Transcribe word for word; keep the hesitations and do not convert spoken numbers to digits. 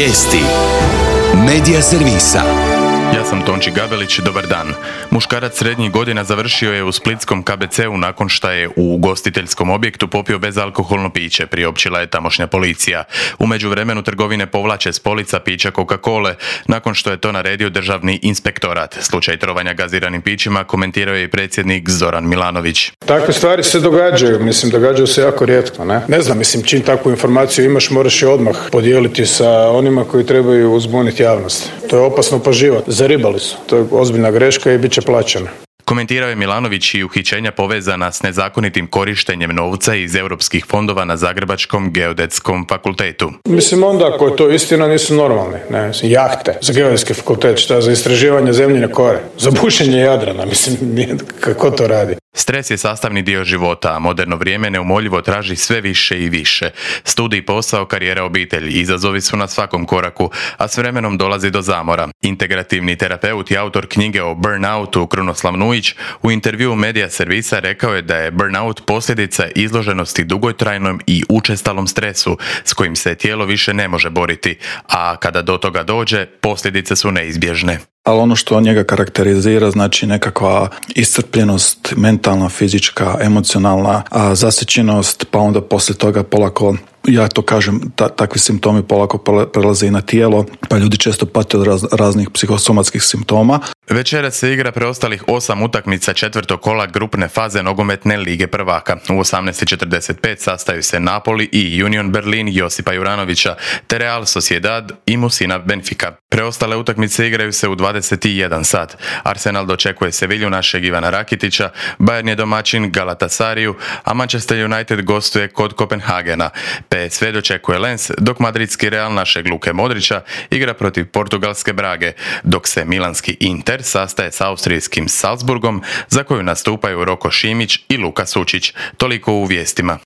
Vijesti Medija servisa. Ja sam Tonči Gabelić, dobar dan. Muškarac srednjih godina završio je u splitskom K B C-u nakon što je u ugostiteljskom objektu popio bezalkoholno piće, priopćila je tamošnja policija. U međuvremenu trgovine povlače s polica pića Coca-Cole, nakon što je to naredio državni inspektorat. Slučaj trovanja gaziranim pićima komentirao je i predsjednik Zoran Milanović. Takve stvari se događaju, mislim, događaju se jako rijetko, ne? Ne znam, mislim, čim takvu informaciju imaš, moraš je odmah podijeliti sa onima koji trebaju uzbuniti javnost. To je opasno po život. Zaribali su. To je ozbiljna greška i bit će plaćena. Komentirao je Milanović i uhićenja povezana s nezakonitim korištenjem novca iz europskih fondova na Zagrebačkom geodetskom fakultetu. Mislim, onda ako je to istina, nisu normalni. Ne, mislim, jahte za geodetski fakultet, šta za istraživanje zemljine kore, za bušenje Jadrana, mislim, nije, kako to radi. Stres je sastavni dio života, a moderno vrijeme neumoljivo traži sve više i više. Studij, posao, karijera, obitelj, izazovi su na svakom koraku, a s vremenom dolazi do zamora. Integrativni terapeut i autor knjige o burnoutu Krunoslav Nujić u intervjuu Medija servisa rekao je da je burnout posljedica izloženosti dugotrajnom i učestalom stresu s kojim se tijelo više ne može boriti, a kada do toga dođe, posljedice su neizbježne. Ali ono što njega karakterizira, znači nekakva iscrpljenost, mentalna, fizička, emocionalna, a zasićenost, pa onda poslije toga polako, ja to kažem, ta, takvi simptomi polako prelaze i na tijelo, pa ljudi često pate od raz, raznih psihosomatskih simptoma. Večeras se igra preostalih osam utakmica četvrtog kola grupne faze nogometne Lige prvaka. U osamnaest i četrdeset pet sastaju se Napoli i Union Berlin Josipa Juranovića, te Real Sociedad i Musina Benfica. Preostale utakmice igraju se u dvadeset jedan sat. Arsenal dočekuje Sevilju našeg Ivana Rakitića, Bayern je domaćin Galatasariju, a Manchester United gostuje kod Kopenhagena. P S V dočekuje Lens, dok madridski Real našeg Luke Modrića igra protiv portugalske Brage, dok se milanski Inter sastaje s austrijskim Salzburgom, za koju nastupaju Roko Šimić i Luka Sučić. Toliko u vijestima.